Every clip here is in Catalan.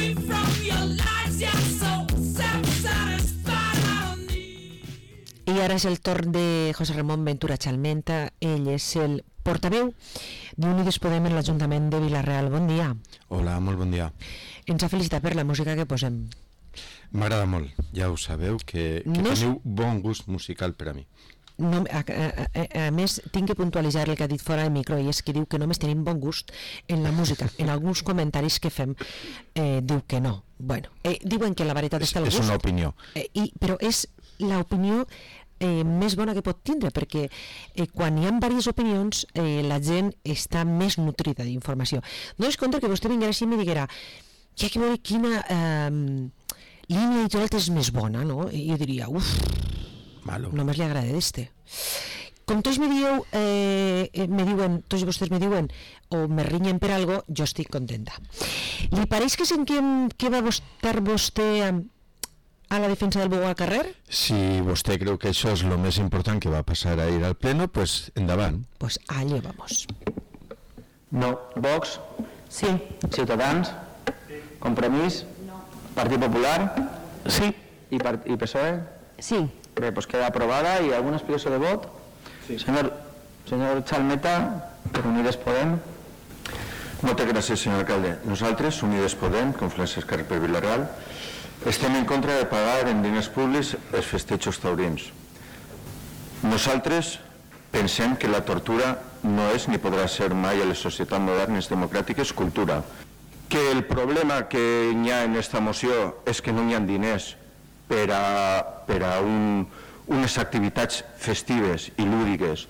I ara és el torn de José Ramón Ventura Chalmenta. Ell és el portaveu d'Unides Podem en l'Ajuntament de Vila-real. Bon dia. Hola, molt bon dia. Ens ha felicitat per la música que posem. M'agrada molt, ja ho sabeu, que teniu bon gust musical per a mi. No, a més, tinc que puntualitzar el que ha dit fora del micro, i és que diu que només tenim bon gust en la música. En alguns comentaris que fem diu que no. Bueno, diuen que la veritat està al gust. És una opinió. Però és l'opinió més bona que pot tindre, perquè quan hi ha diverses opinions la gent està més nutrida d'informació. Dones compte que vostè vinguera així i me diguera ja que veure quina línia editorial és més bona, no? I jo diria, malo. Només li agrada d'este. Com tots me diuen, tots vostès me diuen o me rinyen per algo, jo estic contenta. Li pareix que sentim que va estar vostè a la defensa del bou al carrer? Si vostè creu que això és el més important que va passar a ir al pleno, pues endavant. Pues allá vamos. No. Vox? Sí. Ciutadans? Sí. Compromís? No. Partit Popular? Sí. I PSOE? Sí. Bé, pues queda aprobada. ¿Y alguna explicació de vot? Sí. Senyor Chalmeta, per Unides Podem. Moltes gràcies, senyor alcalde. Nosaltres, Unides Podem, Confluència Esquerra per Vila-real, estem en contra de pagar en diners públics els festejos taurins. Nosaltres pensem que la tortura no és ni podrà ser mai a les societats modernes democràtiques cultura. Que el problema que hi ha en aquesta moció és que no hi ha diners per a unes activitats festives i lúdiques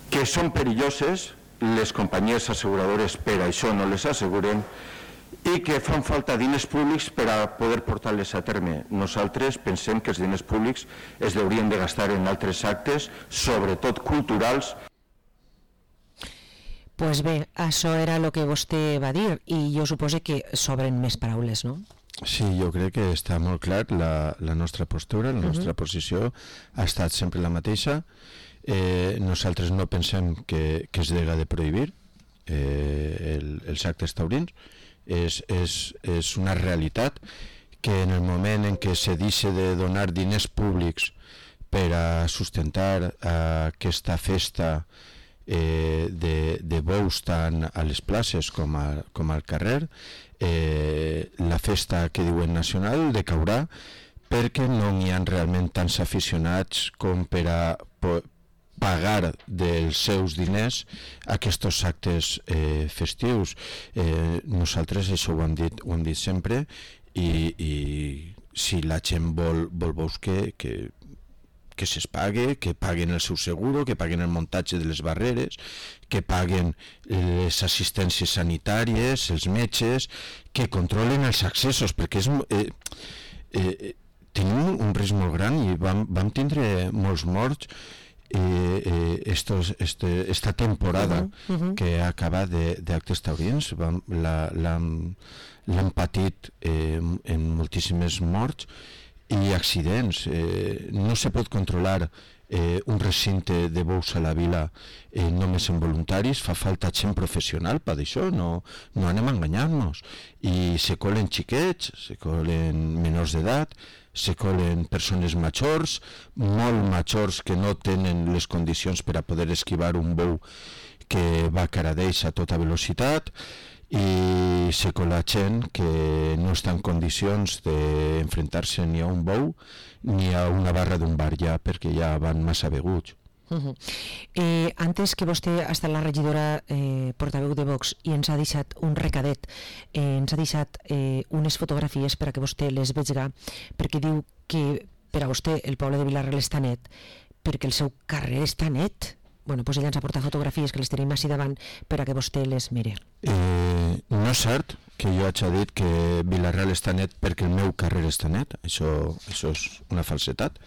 que són perilloses, les companyies asseguradores per això no les asseguren, i que fan falta diners públics per a poder portar-les a terme. Nosaltres pensem que els diners públics es haurien de gastar en altres actes, sobretot culturals. Pues bé, això era el que vostè va dir, i jo suposo que sobren més paraules, no? Sí, jo crec que està molt clar la nostra postura, la nostra posició ha estat sempre la mateixa. Nosaltres no pensem que es dega de prohibir els actes taurins. És una realitat que en el moment en què se deixa de donar diners públics per a sustentar aquesta festa de bous tant a les places com al carrer, la festa que diuen nacional decaurà perquè no n'hi ha realment tants aficionats com per a pagar dels seus diners aquests actes festius. Nosaltres això ho hem dit sempre, i si la gent vol veus que se's pague, que paguen el seu seguro, que paguen el muntatge de les barreres, que paguen les assistències sanitàries, els metges, que controlen els accessos, perquè tenim un risc molt gran i vam tindre molts morts esta temporada que acaba d'actes taurins. L'han patit en moltíssimes morts i accidents. No se pot controlar un recinte de bous a la vila només en voluntaris, fa falta gent professional per això, no anem a enganyar-nos. I se colen xiquets, se colen menors d'edat, se colen persones majors, molt majors que no tenen les condicions per a poder esquivar un bou que va cara d'ells a tota velocitat, i se cola gent que no està en condicions d'enfrontar-se ni a un bou ni a una barra d'un bar ja, perquè ja van massa beguts. Antes que vostè ha estat la regidora portaveu de Vox i ens ha deixat un recadet, ens ha deixat unes fotografies per a que vostè les vegi, perquè diu que per a vostè el poble de Vila-real està net perquè el seu carrer està net. Bueno, doncs ella ens ha portat fotografies que les tenim així davant per a que vostè les mire. No és cert que jo hagi dit que Vila-real està net perquè el meu carrer està net. Això és una falsetat.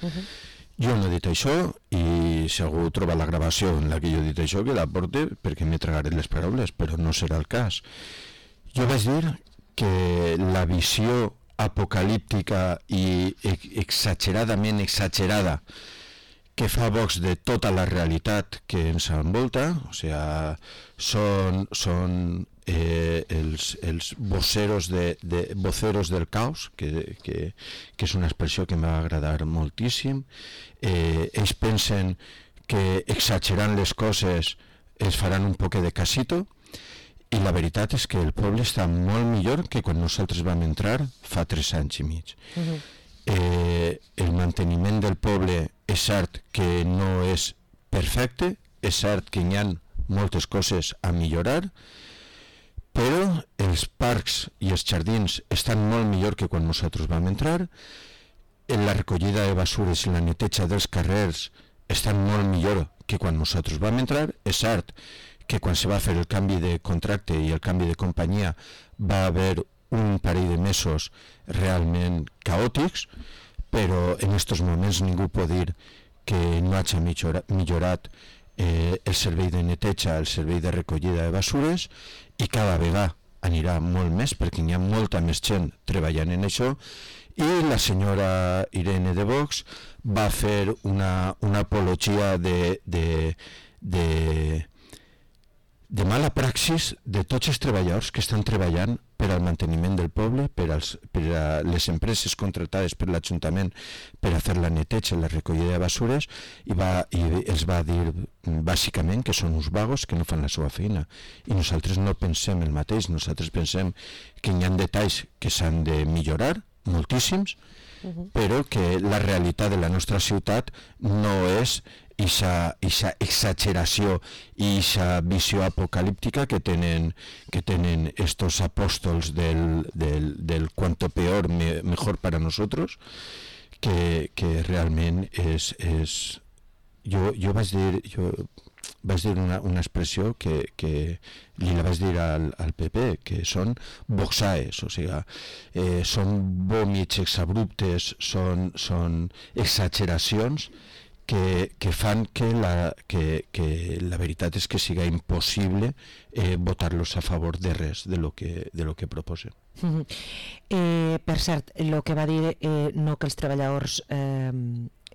Jo no he dit això, i si algú troba la gravació en la que jo he dit això, que la porte, perquè m'he tragaré les paraules, però no serà el cas. Jo vaig dir que la visió apocalíptica i exageradament exagerada que fa Vox de tota la realitat que ens envolta, o sigui, són els voceros del caos, que és una expressió que m'ha agradat moltíssim. Ells pensen que exagerant les coses es faran un poc de casito, i la veritat és que el poble està molt millor que quan nosaltres vam entrar fa 3 anys i mig. El manteniment del poble és cert que no és perfecte, és cert que hi ha moltes coses a millorar, però els parcs i els jardins estan molt millor que quan nosaltres vam entrar, la recollida de basures i la neteja dels carrers estan molt millor que quan nosaltres vam entrar. És cert que quan se va fer el canvi de contracte i el canvi de companyia va haver un parell de mesos realment caòtics, però en aquests moments ningú pot dir que no hagi millorat el servei de neteja, el servei de recollida de basures, i cada vegada anirà molt més perquè hi ha molta més gent treballant en això. I la senyora Irene de Vox va fer una apologia de mala praxis de tots els treballadors que estan treballant per al manteniment del poble, per a les empreses contratades per l'Ajuntament per a fer la neteja i la recollida de basures, i els va dir bàsicament que són uns vagos que no fan la seva feina. I nosaltres no pensem el mateix, nosaltres pensem que hi ha detalls que s'han de millorar, moltíssims, però que la realitat de la nostra ciutat no és aquesta exageració i aquesta visió apocalíptica que tenen estos apóstols del cuanto peor mejor para nosotros, que realment és jo vaig dir una expressió que li la vaig dir al PP, que són boxaes, o sigui, són vòmits exabruptes, són exageracions que fan que la veritat és que siga impossible votar-los a favor de res de lo que proposen. Per cert, el que va dir no que els treballadors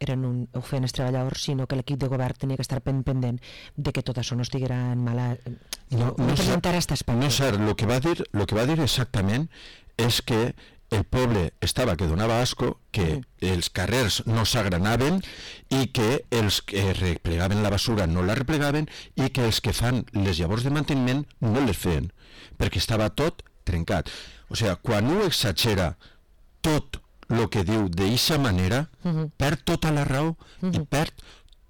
ho feien els treballadors, sinó que l'equip de govern tenia que estar pendent de que tot això no estiguera en mala... No presentar aquest aspecte. No, cert, el que va dir exactament és que el poble estava que donava asco, que els carrers no s'agranaven i que els que replegaven la basura no la replegaven i que els que fan les llavors de manteniment no les feien, perquè estava tot trencat. O sigui, quan un exagera tot el que diu d'eixa manera, perd tota la raó i perd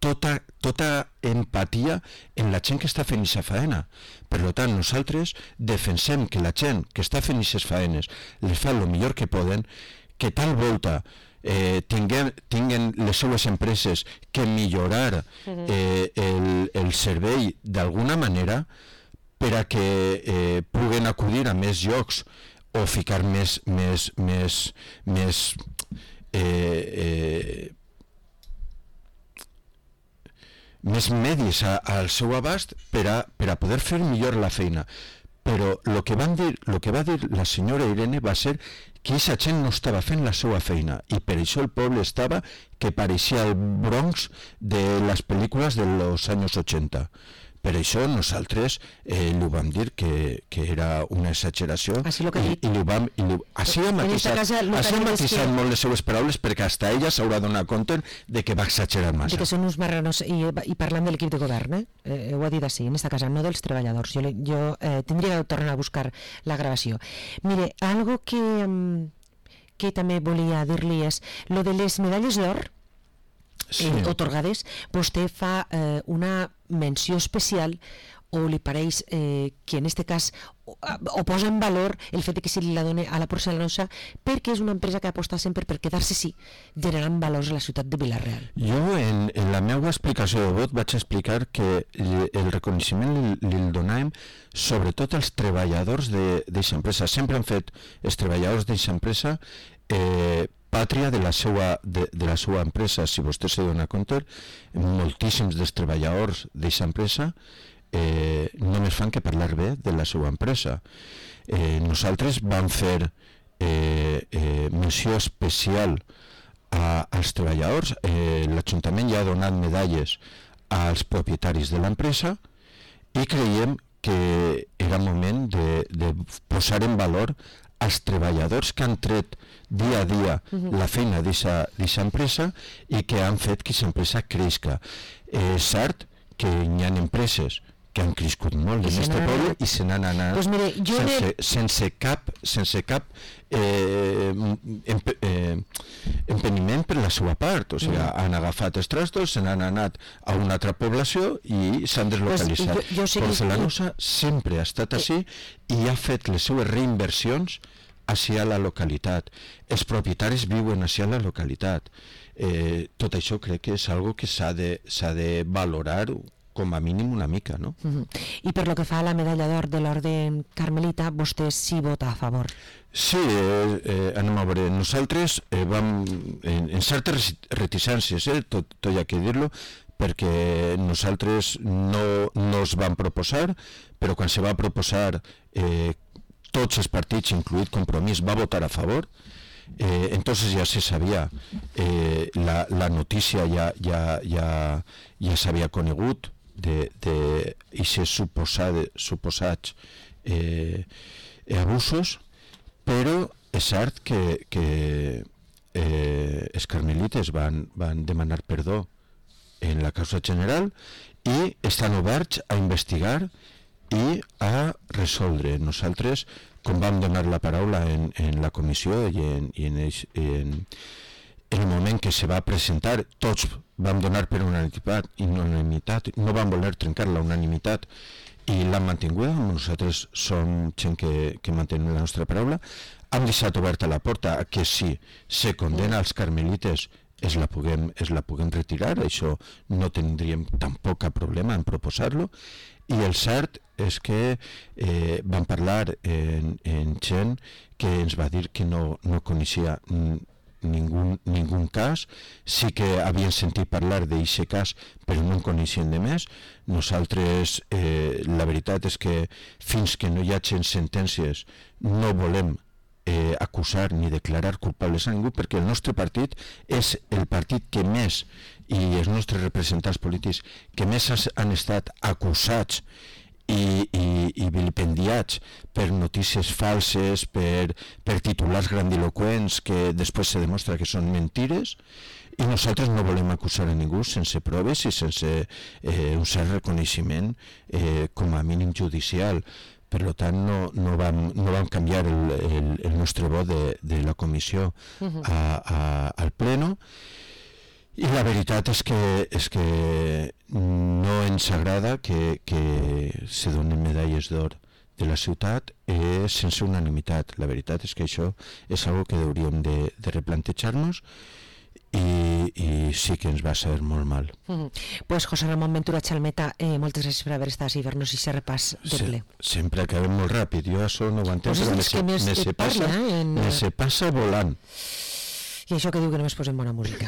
tota empatia en la gent que està fent aquesta faena. Per tant, nosaltres defensem que la gent que està fent aquestes faenes les fa el millor que poden, que tal volta tinguen les seues empreses que millorar el servei d'alguna manera per a que puguen acudir a més llocs o ficar més medis al seu abast per a poder fer millor la feina. Però el que va dir la senyora Irene va ser que aquesta gent no estava fent la seva feina i per això el poble estava que pareixia el Bronx de les pel·lícules dels anys 80. Per això nosaltres li vam dir que era una exageració i li vam matisat molt les seues paraules perquè hasta ella s'haurà donat compte de que va exagerar massa. De que són uns marranos, i parlant de l'equip de govern, ho ha dit així, en esta casa, no dels treballadors. Jo tindria que tornar a buscar la gravació. Mire, algo que també volia dir-li és lo de les medalles d'or otorgades. Vostè fa una menció especial o li pareix que en este cas o posa en valor el fet que se li la doni a la porcelanosa perquè és una empresa que aposta sempre per quedar-se generant valors a la ciutat de Vila-real. Jo en la meva explicació de vot vaig explicar que el reconeixement li donàvem sobretot als treballadors d'aquesta empresa. Sempre han fet els treballadors d'aquesta empresa pàtria de la seva empresa. Si vostè se dona compte, moltíssims dels treballadors d'aquesta empresa només fan que parlar bé de la seva empresa. Nosaltres vam fer menció especial als treballadors. L'Ajuntament ja ha donat medalles als propietaris de l'empresa i creiem que era moment de posar en valor els treballadors que han tret dia a dia la feina d'aquesta empresa i que han fet que aquesta empresa creixi. És cert que hi ha empreses que han crescut molt en aquest poble i se n'han anat pues mire, sense cap empeniment per la seva part, o sigui, han agafat els trastos, se n'han anat a una altra població i s'han deslocalitzat. Porcelanosa sempre ha estat així i ha fet les seues reinversions hacia la localitat. Els propietaris viuen hacia la localitat. Tot això crec que és algo que s'ha de valorar com a mínim una mica, no? I per lo que fa a la medalla d'or de l'Orden Carmelita, vostè sí vota a favor? Sí, anem a veure, nosaltres vam en certes reticències, tot hi ha que dir-lo, perquè nosaltres no es vam proposar, però quan se va proposar tots els partits, incluït Compromís, va votar a favor. Entonces ya se sabia, la notícia ja s'havia conegut d'aquests suposats abusos, però és cert que els carmelites van demanar perdó en la causa general i estan oberts a investigar i a resoldre. Nosaltres, com vam donar la paraula en la comissió i en el moment que se va presentar, tots vam donar per unanimitat, no vam voler trencar la unanimitat i l'han mantingut. Nosaltres som gent que mantenim la nostra paraula. Hem deixat oberta la porta a que si se condena als carmelites es la puguem retirar, això no tindríem tampoc cap problema en proposar-lo. I el cert és que vam parlar en gent que ens va dir que no coneixia ningú cas, sí que havien sentit parlar d'aquest cas però no en coneixien de més. Nosaltres la veritat és que fins que no hi hagi sentències no volem acusar ni declarar culpables a ningú, perquè el nostre partit és el partit que més, i els nostres representants polítics que més han estat acusats i vilipendiats per notícies falses, per titulars grandiloquents que després se demostra que són mentires, i nosaltres no volem acusar a ningú sense proves i sense un cert reconeixement com a mínim judicial. Per tant, no vam canviar el nostre vot de la comissió al pleno. I la veritat és que no ens agrada que se donen medalles d'or de la ciutat sense unanimitat. La veritat és que això és una cosa que hauríem de replantejar-nos i sí que ens va saber molt mal. Pues José Ramón Ventura Chalmeta, moltes gràcies per haver estat i fer-nos aquest repàs de ple. Sempre acabem molt ràpid, jo això no ho entenc, però me se passa volant. I això que diu que només posem bona música.